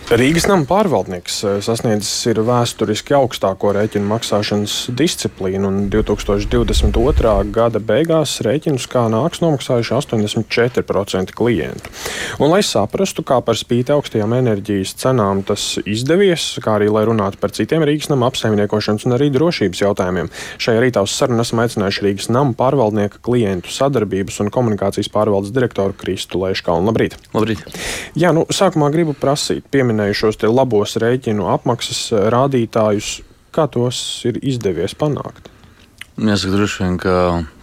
Rīgas nama pārvaldnieks sasniedzis ir vēsturiski augstāko rēķinu maksāšanas disciplīnu, un 2022. gada beigās rēķinus kā nāks nomaksājuši 84% klientu. Un, lai saprastu, kā par spīti augstajām enerģijas cenām tas izdevies, kā arī lai runātu par citiem Rīgas nama apsaimniekošanas un arī drošības jautājumiem, šajā rītā uz sarunu esam aicinājuši Rīgas nama pārvaldnieka klientu sadarbības un komunikācijas pārvaldes direktoru Kristu Leiškalnu. Labrīt! Labrīt! Jā, sākumā gribu prasīt, pieminējušos te labos rēķinu apmaksas rādītājus, kā tos ir izdevies panākt? Jāsaka, droši vien, ka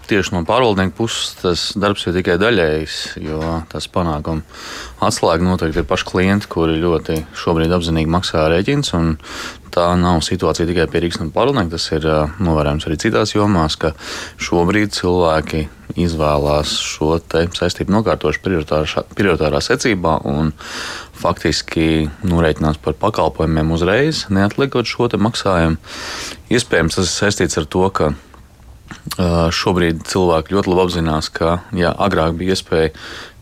tieši no pārvaldnieka puses tas darbs ir tikai daļējs, jo tas panākuma atslēga noteikti ir paši klienti, kuri ļoti šobrīd apzinīgi maksā rēķins, un tā nav situācija tikai pie Rīgas nama pārvaldnieka, tas ir novērojams arī citās jomās, ka šobrīd cilvēki izvēlās šo te saistību nokārtošu prioritārā secībā un faktiski norēķinās par pakalpojumiem uzreiz, neatliekot šo te maksājumu. Iespējams, tas ir saistīts ar to, ka šobrīd cilvēki ļoti labi apzinās, ka agrāk bija iespēja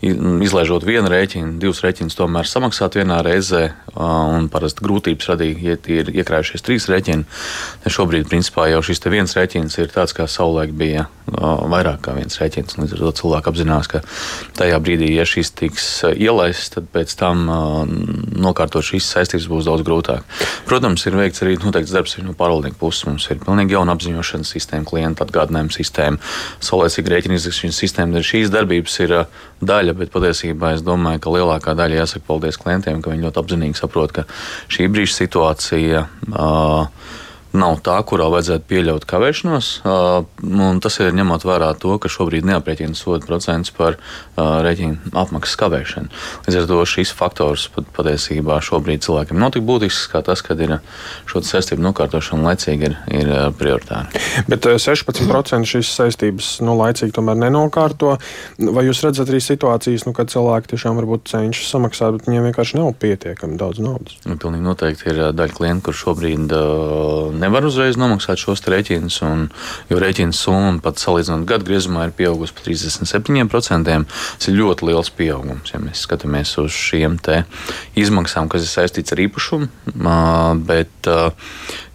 izlaižot vienu rēķinu, divus rēķinus tomēr samaksāt vienā reizē, un parasti grūtības radīja, ja ir iekrājušies 3 rēķini. Šobrīd, principā, jau šis te viens rēķins ir tāds, kā savulaik bija vairāk kā viens rēķins. Līdz ar to cilvēki apzinās, ka tajā brīdī, ja šis tiks ielaists, tad pēc tam nokārtot šīs saistības būs daudz grūtāk. Protams, ir veikts arī noteikts darbs no pārvaldnieka puses. Mums ir pilnīgi jauna apziņošanas sistēma, klienta atgādinājuma sistēma, saulēcīga rēķina izrakšanas sistēma. Šīs darbības ir daļa, bet patiesībā es domāju, ka lielākā daļa jāsaka paldies klientiem, ka viņi ļoti apzinīgi saprot, ka šī brīža situācija nav tā, kurā vajadzētu pieļaut kavēšanos, un tas ir ņemot vērā to, ka šobrīd neaprēķina soda procents par rēķinu apmaksas kavēšanu. Līdz ar to šis faktors patiesībā šobrīd cilvēkiem nav tik būtisks, kā tas, kad ir šo saistību nokārtošana laicīgi ir prioritāri. Bet 16% šīs saistības laicīgi tomēr nenokārto. Vai jūs redzat arī situācijas, kad cilvēki tiešām varbūt cenšas samaksāt, bet viņiem vienkārši nav pietiekami daudz naudas? Pilnīgi noteikti ir daļa klientu, kur šobrīd nevar uzreiz nomaksāt šos rēķinus, jo rēķina summa pat salīdzinot gadu griezumā ir pieaugusi par 37%. Tas ir ļoti liels pieaugums, ja mēs skatāmies uz šiem te izmaksām, kas ir saistīts ar īpašumu, bet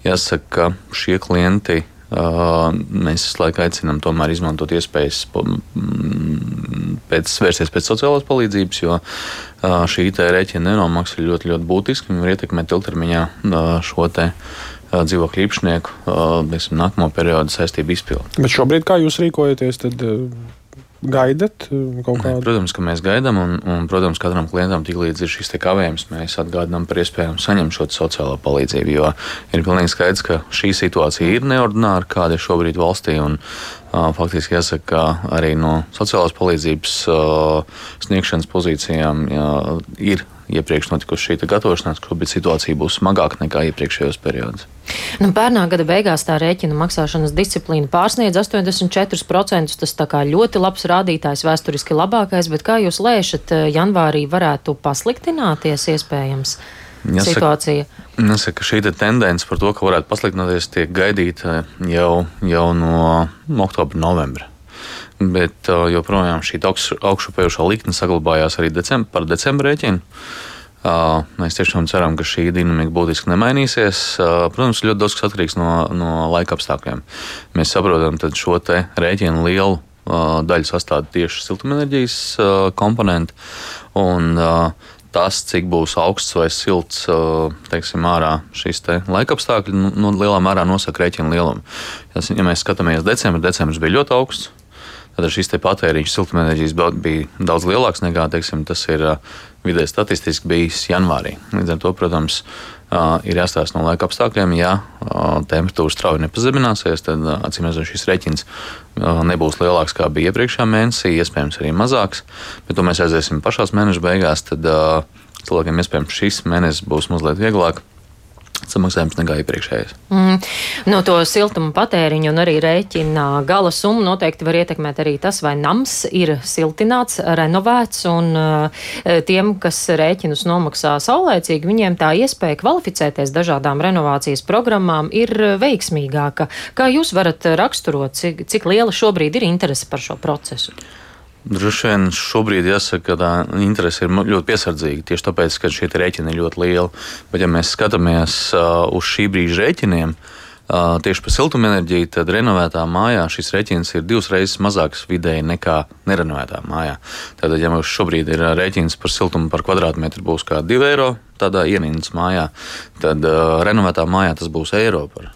jāsaka, ka šie klienti mēs visu laiku aicinām tomēr izmantot iespējas vērsties pēc sociālās palīdzības, jo šī te rēķina nenomaksa ir ļoti, ļoti būtiski un var ietekmēt ilgtermiņā šo te dzīvokļu īpašnieku nākamo periodu saistību izpildi. Bet šobrīd, kā jūs rīkojaties, tad gaidat kaut kādu? Protams, ka mēs gaidām, un protams, katram klientam tiklīdz ir šis te kavējums, mēs atgādinām par iespējām saņemt šo sociālo palīdzību, jo ir pilnīgi skaidrs, ka šī situācija ir neordināra, kāda ir šobrīd valstī, un faktiski jāsaka, ka arī no sociālās palīdzības sniegšanas pozīcijām ir iepriekš notikusi šī gatavošanās, ka šobrīd situācija būs smagāka nekā iepriekšējos periodos. Pērnā gada beigās tā rēķina maksāšanas disciplīna pārsniedz 84%. Tas tā kā ļoti labs rādītājs, vēsturiski labākais, bet kā jūs lēšat, janvārī varētu pasliktināties iespējams situācija? Jāsaka, šī tendence par to, ka varētu pasliktināties, tiek gaidīta jau no oktobra, novembra. Bet joprojām šī augšupējušā likme saglabājās arī par decembra rēķinu. Mēs tiešām ceram, ka šī dinamika būtiski nemainīsies. Protams, ļoti daudz kas atkarīgs no laika apstākļiem. Mēs saprotam, ka šo te rēķinu lielu daļu sastāv tieši siltumenerģijas komponenti. Un tas, cik būs augsts vai silts, teiksim, ārā šīs te laika apstākļi, lielā mērā nosaka rēķinu lielumu. Ja mēs skatāmies decembris bija ļoti augsts. Tad šis patēriņš siltumenerģijas bija daudz lielāks nekā, teiksim, tas ir vidēji statistiski bijis janvārī. Līdz ar to, protams, ir jāstāsta no laika apstākļiem. Ja temperatūra strauji nepazemināsies, tad acīmredzot šis rēķins nebūs lielāks kā bija iepriekšējā mēnesī, iespējams arī mazāks. Bet to mēs aiziesim pašās mēneša beigās, tad cilvēkiem iespējams šis mēnesis būs mazliet vieglāk samaksājums nekā iepriekšējais. No to siltuma patēriņu un arī rēķina gala summu noteikti var ietekmēt arī tas, vai nams ir siltināts, renovēts, un tiem, kas rēķinus nomaksā saulēcīgi, viņiem tā iespēja kvalificēties dažādām renovācijas programmām ir veiksmīgāka. Kā jūs varat raksturot, cik liela šobrīd ir interese par šo procesu? Droši vien šobrīd jāsaka, ka tā interese ir ļoti piesardzīga. Tieši tāpēc, ka šie rēķini ir ļoti lieli. Bet, ja mēs skatāmies uz šī brīža rēķiniem, tieši par siltumenerģiju, tad renovētā mājā šis rēķins ir 2 reizes mazāks vidēji nekā nerenovētā mājā. Tātad, ja mums šobrīd ir rēķins par siltumu par kvadrātmetru būs kā 2 eiro tādā ienindas mājā, tad renovētā mājā tas būs eiro par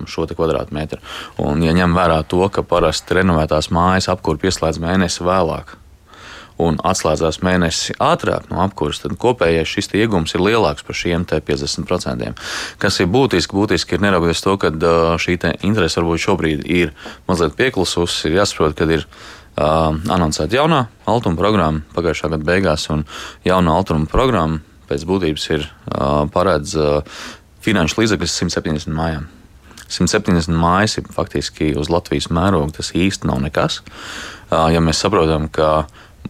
šo te kvadrātmetru. Un, ja ņem vērā to, ka parasti renovētās mājas apkūra pieslēdz mēnesi vēlāk un atslēdzās mēnesi ātrāk no apkūras, tad kopējais šis iegums ir lielāks par šiem 50%. Kas ir būtiski ir neraugoties to, ka šī interese varbūt šobrīd ir mazliet pieklususi, ir jāsaprot, kad ir anoncēta jaunā altuma programma pagājušā gada beigās, un jaunā altuma programma pēc būtības ir paredz finanšu līdzekļus 170 mājām. 170 mājas ir faktiski uz Latvijas mēroga, tas īsti nav nekas. Ja mēs saprotam, ka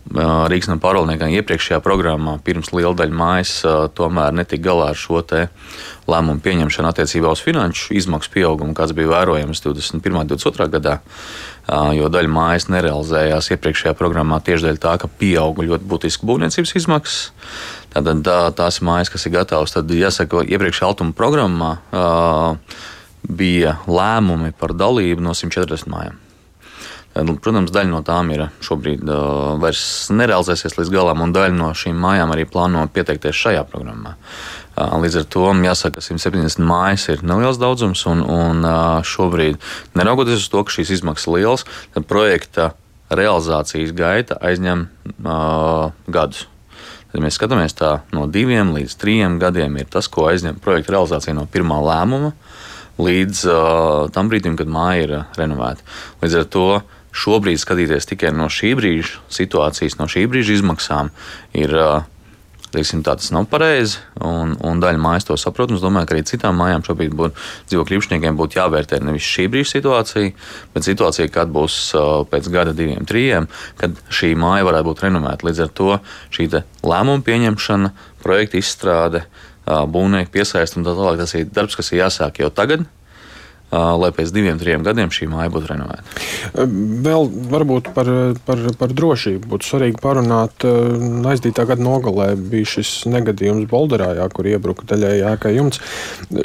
Rīgas nama pārvaldniekam iepriekšējā programmā pirms liela daļa mājas tomēr netika galā ar šo te lēmumu pieņemšanu attiecībā uz finanšu izmaksu pieaugumu, kāds bija vērojams 21. un 22. gadā, jo daļa mājas nerealizējās iepriekšējā programmā tieši dēļ tā, ka pieauga ļoti būtiski būvniecības izmaksas. Tātad tās mājas, kas ir gatavas, tad jāsaka, iepriekšējā altuma programmā bija lēmumi par dalību no 140 mājām. Protams, daļa no tām ir šobrīd vairs nerealizēsies līdz galam, un daļa no šīm mājām arī plāno pieteikties šajā programmā. Līdz ar to jāsaka, ka 170 mājas ir neliels daudzums, un šobrīd, neraugoties uz to, ka šīs izmaksas ir lielas, tad projekta realizācijas gaita aizņem gadus. Tad mēs skatāmies tā no 2 līdz 3 gadiem ir tas, ko aizņem projekta realizācija no pirmā lēmuma līdz tam brīdim, kad māja ir renovēta. Līdz ar to šobrīd skatīties tikai no šī brīža situācijas, no šī brīža izmaksām ir, teiksim, tā tas nav pareizi, un daļa mājas to saprot. Es domāju, ka arī citām mājām šobrīd dzīvokļu īpašniekiem būtu jāvērtē nevis šī brīža situācija, bet situācija, kad būs pēc gada, 2, 3, kad šī māja varētu būt renovēta. Līdz ar to šī lēmuma pieņemšana, projekta izstrāde, būvnieku piesaist un tā tālāk, tas ir darbs, kas ir jāsāk jau tagad, lai pēc 2, 3 gadiem šī māja būtu renovēta. Vēl varbūt par drošību būtu svarīgi parunāt. Aizdītā gada nogalē bija šis negadījums Bolderā, kur iebruka daļēji ēkai jumts.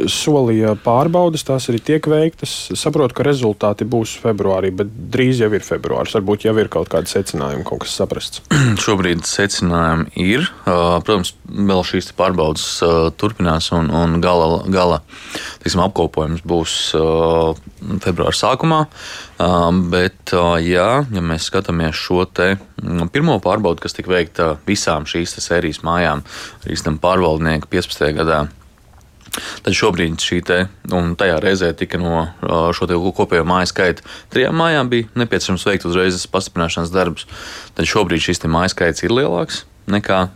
Solīja pārbaudes, tās arī tiek veiktas. Saprotu, ka rezultāti būs februārī, bet drīz jau ir februāris. Varbūt jau ir kaut kādi secinājumi, kaut kas saprasts. Šobrīd secinājumi ir. Protams, vēl šīs pārbaudes turpinās un gala apkopojums būs februāra sākumā, bet ja mēs skatāmies šo te pirmo pārbaudi, kas tika veikta visām šīs sērijas mājām, Rīgas nama pārvaldnieka 15. gadā, tad šobrīd un tajā reizē tika no šo te kopējo māju skaita 3 mājām bija nepieciešams veikt uzreiz pastiprināšanas darbus, tad šobrīd šis māju skaits ir lielāks nekā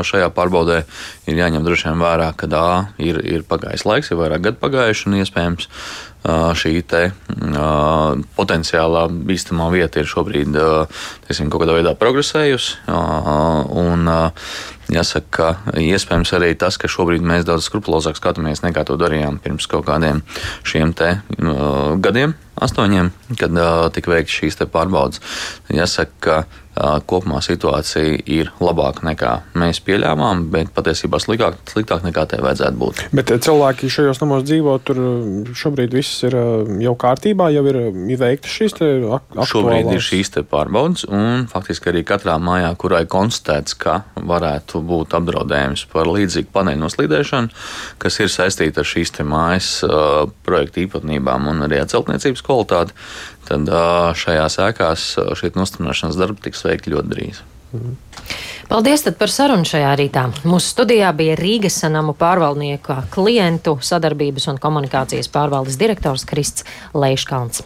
šajā pārbaudē. Ir jāņem droši vien vērā, ka ir pagājis laiks, ir vairāk gadu pagājuši, un iespējams šī potenciālā bīstamā vieta ir šobrīd kaut kādā veidā progresējusi. Un jāsaka, ka iespējams arī tas, ka šobrīd mēs daudz skrupulozāk skatāmies nekā to darījām pirms kaut kādiem šiem gadiem, 8, kad tika veikts šīs pārbaudes. Jāsaka, ka kopumā situācija ir labāka nekā mēs pieļāvām, bet patiesībā sliktāk nekā tai vajadzētu būt. Bet cilvēki šajos namos dzīvo, tur šobrīd viss ir jau kārtībā, jau ir veiktas šīs aktuālās? Šobrīd ir šīs pārbaudes, un faktiski arī katrā mājā, kurai konstatēts, ka varētu būt apdraudējums par līdzīgu paneļu noslīdēšanu, kas ir saistīta ar šīs mājas projekta īpatnībām un arī ar celtniecības kvalitāti, tad šajās ēkās šī nostiprināšanas darba tiks veikti ļoti drīz. Paldies par sarunu šajā rītā. Mūsu studijā bija Rīgas nama pārvaldnieka klientu sadarbības un komunikācijas pārvaldes direktors Krists Leiškalns.